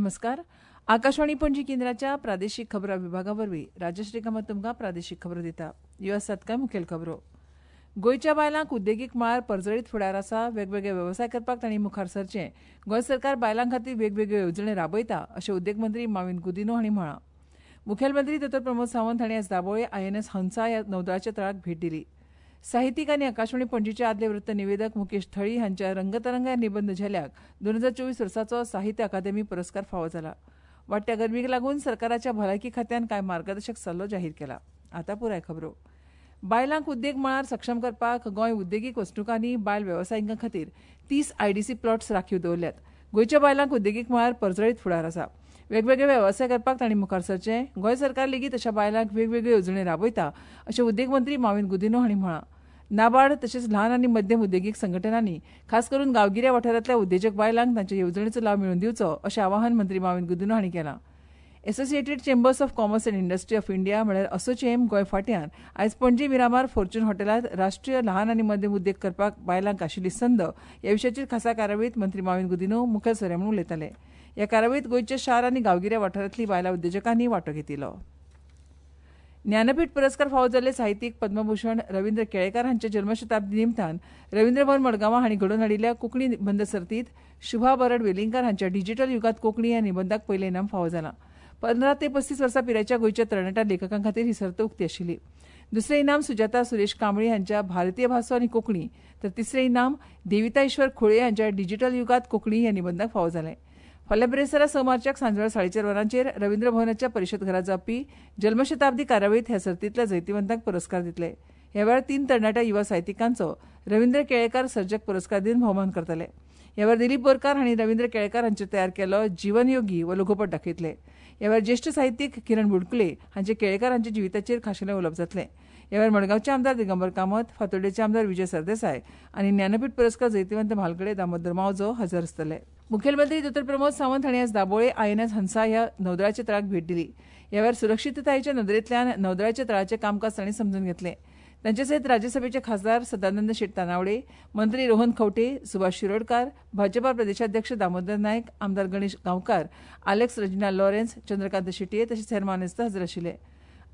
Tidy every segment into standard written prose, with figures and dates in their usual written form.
नमस्कार. आकाशवाणी पणजी केंद्राच्या प्रादेशिक खबरां विभागा वरवीं राजश्री कामत तुमकां प्रादेशिक खबरो दिता. ह्यो आसात कांय मुखेल खबरो. गोंयच्या बायलांक उद्देगीक मळार परजळीत फुडार आसा. वेगवेगळे वेवसाय करपाक तांणी मुखार सरचें. गोंय सरकार बायलां खातीर वेगवेगळ्यो येवजण्यो राबयता अशें उद्देग मंत्री माविन गुदिन्हो हांणी म्हळां. मुखेलमंत्री दोतोर प्रमोद सावंत हांणी आज दाबोळे आयएनएस हंसा ह्या नौदळाच्या तळाक भेट दिली. साहित्यीक आनी आकाशवाणी पणजीचे आदले वृत्त निवेदक मुकेश थळी हांच्या रंगतरंग ह्या निबंद झेल्याक 2024 वर्साचो साहित्य अकादेमी पुरस्कार फावो जाला. वाडट्या गरमीक लागून सरकाराच्या भलायकी खात्यान कांय मार्गदर्शक सल्लो जाहीर केला. आतां पुराय खबरो. बायलांक उद्देग मळार सक्षम करपाक गोंय उद्देगीक वसणुकांनी बायल वेवसायिकां खातीर 30 आयडीसी प्लॉट्स राखीव दवरल्यात. गोंयच्या बायलांक उद्देगीक मळार परजळीत फुडार आसा. वेगवेगळे वेवसाय करपाक तांणी मुखार सरचें. गोंय सरकार लेगीत अशा बायलांक वेगवेगळ्यो येवजण्यो राबयता अशें उद्देग मंत्री माविन गुदिन्हो हांणी म्हळां. नाबार्ड तशेंच ल्हान आनी मध्यम उद्देगीक संघटनांनी खास करून गांवगिऱ्या वाठारांतल्या उद्देजक बायलांक तांच्या येवजणेचो लाव मेळोवन दिवचो अशें आवाहन मंत्री माविन गुदिन्हो हांणी केलां. Associated chambers of commerce and industry of India म्हळ्यार असोचेम गोंय फांट्यान आयज पणजी मिरामार फॉर्च्यून हॉटेलांत राष्ट्रीय ल्हान आनी मध्यम उद्देग करपाक बायलांक आशिल्ली संद ह्या विशयाचेर खासा कार्यावळींत मंत्री माविन गुदिन्हो मुखेल सोयरे म्हूण उलयताले. ह्या कार्यावळींत गोंयच्या शार आनी गांवगिऱ्या वाठारांतली बायलां उद्देजकांनी वांटो घेतिल्लो. ज्ञानपीठ पुरस्कार फावो जाल्ले साहित्यीक पद्मभूषण रवींद्र केळेकार हांच्या जल्मशताब्दी निमतान रवींद्र भवन मडगांवां हांणी घडोवन हाडिल्ल्या कोंकणी निबंद सर्तींत शुभा बरड वेलिंगकार हांच्या डिजिटल युगांत कोंकणी ह्या निबंदाक पयलें इनाम फावो जालां. 15 ते 35 वर्सां पिरायेच्या गोंयच्या तरणाट्या लेखकां खातीर ही सर्त उक्ती आशिल्ली. दुसरें इनाम सुजाता सुरेश कांबळी हांच्या भारतीय भासो आनी कोंकणी, तर तिसरें इनाम देविता ईश्वर खोळे हांच्या डिजिटल युगांत कोंकणी ह्या निबंदाक फावो जालें. फाल्यां बिरेस्तारा 6 मार्चाक सांजवेळा 4:30 वरांचेर रवींद्र भवनाच्या परिशद घरांत जावपी जल्मशताब्दी कार्यावळींत ह्या सर्तींतल्या जैतिवंतांक पुरस्कार दितले. ह्या वेळार 3 तरणाट्या युवा साहित्यिकांचो रवींद्र केळेकार सर्जक पुरस्कार दिवन भोवमान करतले. ह्या वेळार दिलीप बोरकार हांणी रवींद्र केळेकार हांचेर तयार केल्लो जीवनयोगी हो लघुपट दाखयतले. ह्या वेळार ज्येश्ठ साहित्यीक किरण बुडकुले हांचे केळेकार हांच्या जिविताचेर खाशेलें उलोवप जातलें. ह्या वेळार मडगांवचे आमदार दिगंबर कामत, फातोड्डेचे आमदार विजय सरदेसाय आनी ज्ञानपीठ पुरस्कार जैतिवंत म्हालगडे दामोदर मावजो हजर आसतले. मुखेलमंत्री दोतोर प्रमोद सावंत हांणी आज दाबोळे आयएनएस हंसा ह्या नौदळाच्या तळाक भेट दिली. ह्या वेळार सुरक्षिततायेच्या नदरेंतल्यान नौदळाच्या तळाचें कामकाज तांणी समजून घेतलें. तांचे सयत राज्यसभेचे खासदार सदानंद शेट तानावडे, मंत्री रोहन खंवटे, सुभाष शिरोडकार, भाजपा प्रदेशाध्यक्ष दामोदर नायक, आमदार गणेश गांवकार, आलेक्स रजिना लॉरेन्स, चंद्रकांत शेटये तशेंच हेर मानेस्त हजर आशिल्ले.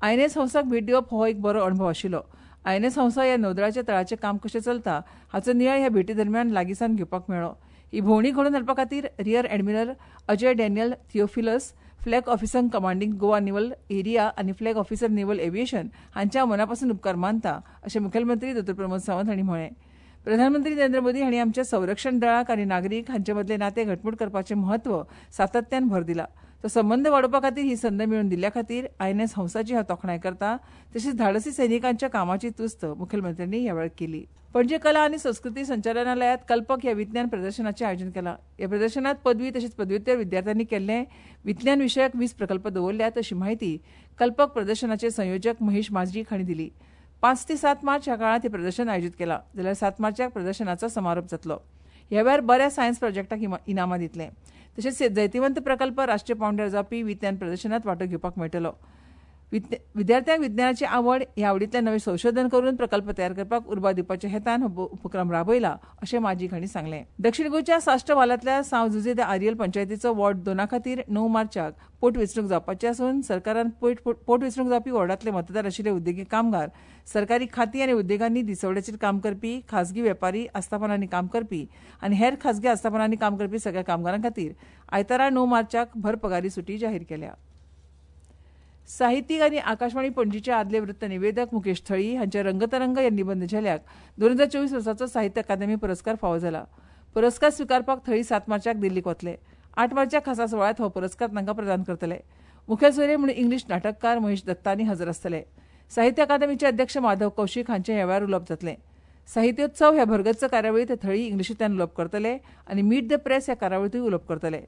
आयएनएस हंसाक भेट दिवप हो एक बरो अणभव आशिल्लो. आयएनएस हंसा ह्या नौदळाच्या तळाचें काम कशें चलता हाचो नियाळ ह्या भेटी दरम्यान लागींसावन घेवपाक मेळ्ळो. ही भोंवडी घडोवन हाडपा खातीर rear admiral Ajay Daniel Theophilus, flag officer commanding Goa naval area आनी फ्लॅग ऑफिसर नेव्हल एव्हिएशन हांच्या मनापासून उपकार मानता अशें मुखेलमंत्री दोतोर प्रमोद सावंत हांणी म्हळें. प्रधानमंत्री नरेंद्र मोदी हांणी आमच्या संरक्षण दळाक आनी नागरीक हांचे मदलें नातें घटमूट करपाचें म्हत्व सातत्यान भर दिला. तो संबंद वाडोवपा खातीर ही संद मेळोवन दिल्ल्या खातीर आयएनएस हंसाची हांव तोखणाय करता. तशेंच धाडसी सैनिकांच्या कामाची तुस्त मुखेलमंत्र्यांनी ह्या वेळार केली. पणजे कला आनी संस्कृती संचालनालयांत कल्पक ह्या विज्ञान प्रदर्शनाचें आयोजन केलां. ह्या प्रदर्शनांत पदवी तशेंच पदव्युत्तर विद्यार्थ्यांनी केल्ले विज्ञान विशयक 20 प्रकल्प दवरल्यात अशी माहिती कल्पक प्रदर्शनाचे संयोजक महेश माजरीक हांणी दिली. 5 ते 7 मार्च ह्या काळांत हें प्रदर्शन आयोजीत केलां. जाल्यार 7 मार्चाक प्रदर्शनाचो समारोप जातलो. ह्या वेळार बऱ्या सायन्स प्रोजेक्टाक इनामां दितले. तशेंच जैतिवंत प्रकल्प राष्ट्रीय पांवड्यार जावपी विज्ञान प्रदर्शनांत वांटो घेवपाक मेळटलो. विद्यार्थ्यांक विज्ञानाची आवड ह्या आवडींतल्यान नवें संशोधन करून प्रकल्प तयार करपाक उर्बा दिवपाच्या हेतान हो उपक्रम राबयला अशें माजीक हांणी सांगलें. दक्षीण गोंयच्या साश्ट वालांतल्या सांव जुझे the Ariel पंचायतीचो वॉर्ड 2 खातीर 9 मार्चाक पोटवेंचणूक जावपाची आसून सरकारान पोटवेंचणूक जावपी वॉर्डांतले मतदार आशिल्ले उद्देगीक कामगार, सरकारी खातीं आनी उद्देगांनी दिसवड्याचेर काम करपी, खाजगी वेपारी आस्थापनांनी काम करपी आनी हेर खाजगी आस्थापनांनी काम करपी सगळ्या कामगारां खातीर आयतारा 9 मार्चाक भर पगारी सुटी जाहीर केल्या. साहित्यीक आनी आकाशवाणी पणजीचे आदले वृत्त निवेदक मुकेश थळी हांच्या रंगतरंग ह्या निबंद झेल्याक 2024 वर्साचो साहित्य अकादेमी पुरस्कार फावो जाला. पुरस्कार स्विकारपाक थळी 7 मार्चाक दिल्लीक वतले. 8 मार्चाक खासा सुवाळ्यांत हो पुरस्कार तांकां प्रदान करतले. मुखेल सोयरे म्हूण इंग्लीश नाटककार महेश दत्तानी हजर आसतले. साहित्य अकादेमीचे अध्यक्ष माधव कौशीक हांचें ह्या वेळार उलोवप जातलें. साहित्योत्सव ह्या भरगच्च कार्यावळींत थळी इंग्लिशींतल्यान उलोवप करतले आनी मीट the press ह्या कार्यावळींतूय उलोवप करतले.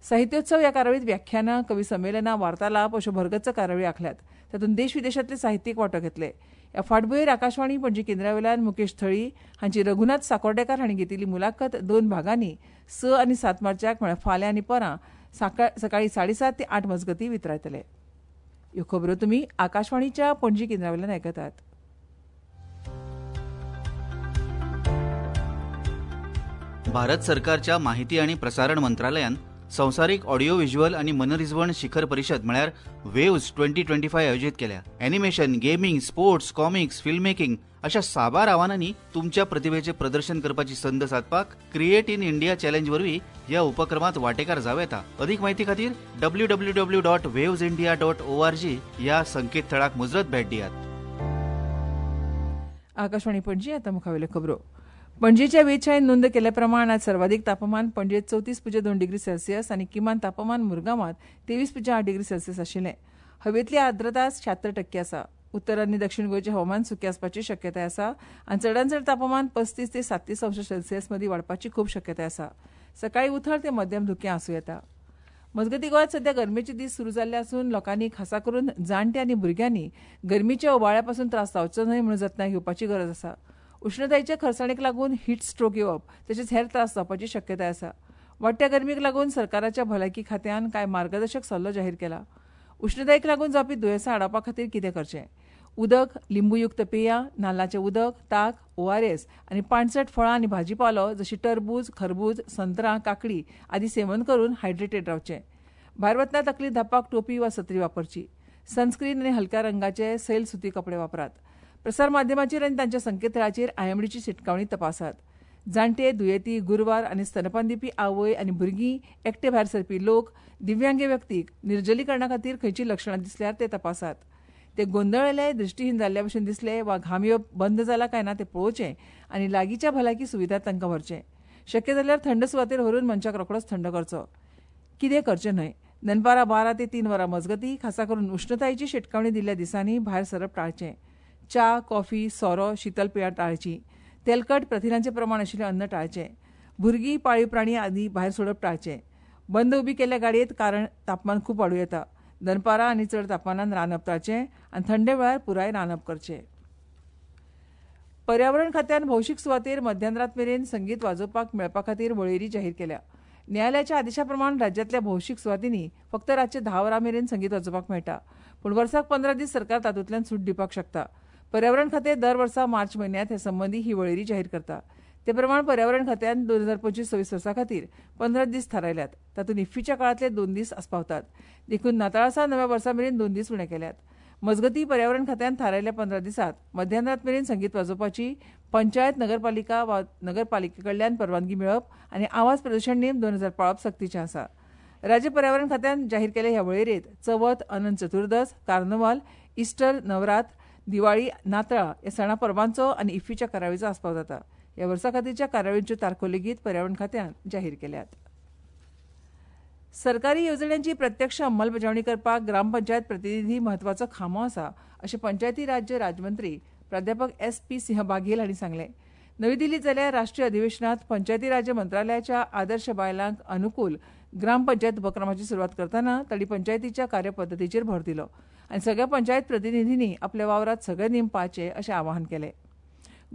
साहित्योत्सव ह्या कार्यावळींत व्याख्यानां, कवी संमेलनां, वार्तालाप अश्यो भरगच्च कार्यावळी आंखल्यात. तातूंत देश विदेशांतले साहित्यीक वांटो घेतले. ह्या फाटभुंयेर आकाशवाणी पणजी केंद्रावेल्यान मुकेश थळी हांची रघुनाथ साकोर्डेकार हांणी घेतिल्ली मुलाखत 2 भागांनी 6 आनी 7 मार्चाक म्हळ्यार फाल्यां आनी परां सकाळीं 7:30 ते 8 मजगतीं वितरायतले. ह्यो खबरो तुमी आकाशवाणीच्या पणजी केंद्रावेल्यान आयकतात. भारत सरकारच्या माहिती आणि प्रसारण मंत्रालयान संवसारीक ऑडियो व्हिज्युअल आनी मनरिजवण शिखर परिशद म्हळ्यार वेव्ज 2025 आयोजीत केल्या. Animation, gaming, sports, comics, film making अशा साबार आव्हानांनी तुमच्या प्रतिभेचे प्रदर्शन करपाची संद सादपाक क्रिएट इन इंडिया चॅलेंज वरवीं ह्या उपक्रमात वांटेकार जावं येता. अदीक म्हायती खातीर www.wavesindia.org ह्या संकेतथळाक मुजरत भेट दियात. आकाशवाणी पणजी, आता मुखावेल्यो खबरो. पणजेच्या वेधशाळेन नोंद केल्या प्रमाण आज सर्वाधिक तापमान पणजेत 34.2 डिग्री सेल्सियस आनी किमान तापमान मुरगांवांत 23.8 डिग्री सेल्सियस आशिल्लें. हवेंतली आर्द्रता 76% आसा. उत्तर आनी दक्षिण गोंयचें हवामान सुकें आसपाची शक्यताय आसा आनी चडांत चड तापमान 35 ते 37 अंश सेल्सियस मदीं वाडपाची खूब शक्यताय आसा. सकाळीं उथळ ते मध्यम धुकें आसूं येता. मजगतीं, गोंयांत सध्या गरमेचे दीस सुरू जाल्ले आसून लोकांनी खासा करून जाण्टे आनी भुरग्यांनी गरमीच्या उबाळ्या पसून त्रास जावचो न्हय म्हणून जतनाय घेवपाची गरज आसा. उश्णतायेच्या खरसाणेक लागून हीट स्ट्रोक येवप तशेंच हेर त्रास जावपाची शक्यताय आसा. वाडट्या गरमीक लागून सरकाराच्या भलायकी खात्यान कांय मार्गदर्शक सल्लो जाहीर केला. उश्णतायेक लागून जावपी दुयेंसां आडावपा खातीर कितें करचें? उदक, लिंबूयुक्त पेयां, नाल्लाचें उदक, ताक, ORS आनी पाणचट फळां आनी भाजीपालो जशी टरबूज, खरबूज, संत्रां, काकडी आदी सेवन करून हायड्रेटेड रावचें. भायर वतना तकली धांपपाक टोपी वा सत्री वापरची. सनस्क्रीन आनी हलक्या रंगाचे सैल सुती कपडे वापरात. प्रसार माध्यमाचेर आनी तांच्या संकेतथळाचेर IMDची शिटकावणी तपासात. जाण्टे, दुयेंती, गुरवार आनी स्तनपान दिवपी आवय आनी भुरगीं, एकटे भायर सरपी लोक, दिव्यांग व्यक्तीक निर्जलीकरणा खातीर खंयचीं लक्षणां दिसल्यार ते तपासात. ते गोंदळिल्ले, दृश्टीहीन जाल्ल्या भशेन दिसले वा घाम येवप बंद जाला काय ना तें पळोवचें आनी लागींच्या भलायकी सुविधांत तांकां व्हरचें. शक्य जाल्यार थंड सुवातेर व्हरून मनशाक रोखडोच थंड करचो. कितें करचें न्हय? दनपारां 12 ते 3 वरां मजगतीं खासा करून उश्णतायेची शिटकावणी दिल्ल्या दिसांनी भायर सरप टाळचें. च्या, कॉफी, सोरो, शीतल पेयां टाळचीं. तेलकट, प्रथिनांचें प्रमाण आशिल्लें अन्न टाळचें. भुरगीं, पाळीव प्राणी आदी भायर सोडप टाळचें. बंद उबी केल्ल्या गाडयेंत कारण तापमान खूब वाडूं येता. दनपारां आनी चड तापमानान रांदप टाळचें आनी थंडे वेळार पुराय रांदप करचें. पर्यावरण खात्यान भौशीक सुवातेर मध्यानरात मेरेन संगीत वाजोवपाक मेळपा खातीर वळेरी जाहीर केल्या. न्यायालयाच्या आदेशा प्रमाण राज्यांतल्या भौशीक सुवातींनी फक्त रातचे 10 वरां मेरेन संगीत वाजोवपाक मेळटा, पूण वर्साक 15 दीस सरकार तातूंतल्यान सूट दिवपाक शकता. पर्यावरण खातें दर वर्सा मार्च म्हयन्यांत हे संबंदी ही वळेरी जाहीर करता. ते प्रमाण पर्यावरण खात्यान 2025-26 वर्सा खातीर 15 दीस थारायल्यात. तातूंत इफ्फीच्या काळांतले 2 दीस आस्पावतात. देखून नाताळा नव्या वर्सा मेरेन 2 दीस उणे केल्यात. मजगतीं, पर्यावरण खात्यान थारायल्ल्या 15 दिसांत मध्यानरात मेरेन संगीत वाजोवपाची पंचायत, नगरपालिका वा नगरपालिके कडल्यान परवानगी मेळप आनी आवाज प्रदूशण नेम 2000 पाळप सक्तीचें आसा. राज्य पर्यावरण खात्यान जाहीर केल्ल्या ह्या वळेरेंत चवथ, अनंत चतुर्दश, कार्नवाल, इस्टर, नवरात्र, दिवाळी, नातळां ह्या सणा परबांचो आनी इफ्फीच्या कार्यावळीचो आस्पाव जाता. ह्या वर्सा खातीरच्या कार्यावळींच्यो तारखो लेगीत पर्यावरण खात्यान जाहीर केल्यात. सरकारी येवजण्यांची प्रत्यक्ष अंमलबजावणी करपाक ग्रामपंचायत प्रतिनिधी म्हत्वाचो खांबो आसा अशें पंचायती राज्य राज्यमंत्री प्राध्यापक SP Singh Baghel हांणी सांगलें. नवी दिल्लींत जाल्ल्या राष्ट्रीय अधिवेशनांत पंचायती राज्य मंत्रालयाच्या आदर्श बायलांक अनुकूल ग्रामपंचायत उपक्रमाची सुरवात करतना तांणी पंचायतीच्या कार्यपद्दतीचेर भर दिलो आनी सगळ्या पंचायत प्रतिनिधींनी आपल्या वावरांत सगळे नेम पाळचे अशें आवाहन केलें.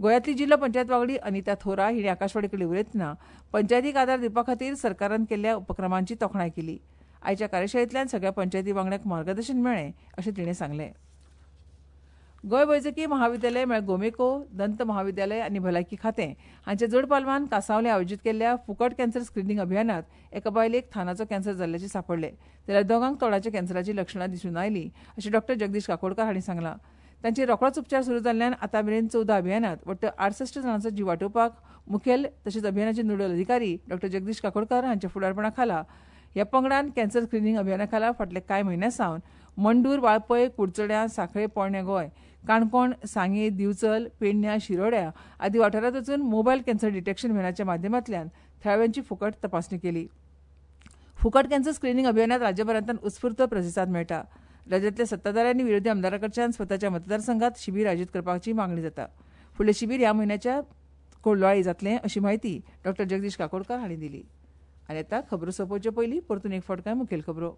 गोंयांतली जिल्लो पंचायत वांगडी अनिता थोरा हिणें आकाशवाणी कडेन उलयतना पंचायतीक आदार दिवपा खातीर सरकारान केल्ल्या उपक्रमांची तोखणाय केली. आयच्या कार्यशाळेंतल्यान सगळ्या पंचायती वांगड्यांक मार्गदर्शन मेळ्ळें अशें तिणें सांगलें. गोंय वैजकी महाविद्यालय म्हळ्यार गोमेको, दंत महाविद्यालय आनी भलायकी खातें हांच्या जोड पालवान कांसावले आयोजीत केल्ल्या फुकट कॅन्सर स्क्रिनींग अभियानात एका बायलेक थानाचो कॅन्सर जाल्ल्याचें सांपडलें, जाल्यार दोगांक तोंडाच्या कॅन्सराचीं लक्षणां दिसून आयलीं अशें डॉ जगदीश काकोडकार हांणी सांगलां. तांचेर रोखडोच उपचार सुरू जाल्ल्यान आतां मेरेन 14 अभियानात वट्ट 68 जाणांचो जीव वाटोवपाक मुखेल तशेंच अभियानाचे नोडल अधिकारी डॉ जगदीश काकोडकार हांच्या फुडारपणा खाला ह्या पंगडान कॅन्सर स्क्रिनींग अभियाना खाला फाटल्या कांय म्हयन्यां सावन मंडूर, वाळपय, कुडचड्यां, सांखळे, पोरणे गोंय, काणकोण, सांगें, दिवचल, पेडण्यां, शिरोड्या आदी वाठारांत वचून मोबायल कॅन्सर डिटेक्शन व्हॅनाच्या माध्यमांतल्यान थळाव्यांची फुकट तपासणी केली. फुकट कॅन्सर स्क्रिनींग अभियानात राज्यभरांतल्यान उत्स्फूर्त प्रतिसाद मेळटा. राज्यांतल्या सत्ताधाऱ्यांनी विरोधी आमदारां कडच्यान स्वताच्या मतदारसंघात शिबीर आयोजीत करपाची मागणी जाता. फुडलें शिबीर ह्या म्हयन्याच्या कोलवाळी जातलें अशी म्हायती डॉ जगदीश काकोडकार हांणी दिली. आनी आतां खबरो सोंपोवचे पयलीं परतून एक फावट कांय मुखेल खबरो.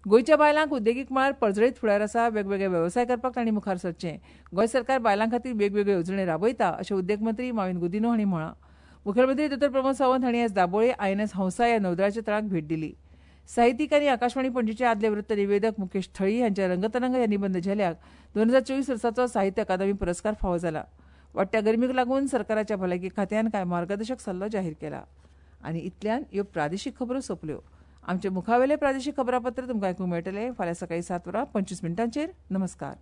गोंयच्या बायलांक उद्देगीक मळार पर्जळीत फुडार आसा, वेगवेगळे वेवसाय करपाक तांणी मुखार सरचें. गोंय सरकार बायलां खातीर वेगवेगळ्यो येवजण्यो राबयता अशें उद्देग मंत्री माविन गुदिन्हो हांणी म्हळां. मुखेलमंत्री दोतोर प्रमोद सावंत हांणी आयज दाबोळे INS Hansa ह्या नौदळाच्या तळाक भेट दिली. साहित्यीक आनी आकाशवाणी पणजेचे आदले वृत्त निवेदक मुकेश थळी हांच्या रंगतरंग ह्या निबंद झेल्याक 2024 वर्साचो साहित्य अकादमी पुरस्कार फावो जाला. वाडट्या गरमीक लागून सरकाराच्या भलायकी खात्यान कांय मार्गदर्शक सल्लो जाहीर केला. आनी इतल्यान ह्यो प्रादेशीक खबरो सोंपल्यो. आमचे मुखावेले प्रादेशीक खबरापत्र तुमकां आयकूंक मेळटलें फाल्यां सकाळीं 7:25. नमस्कार.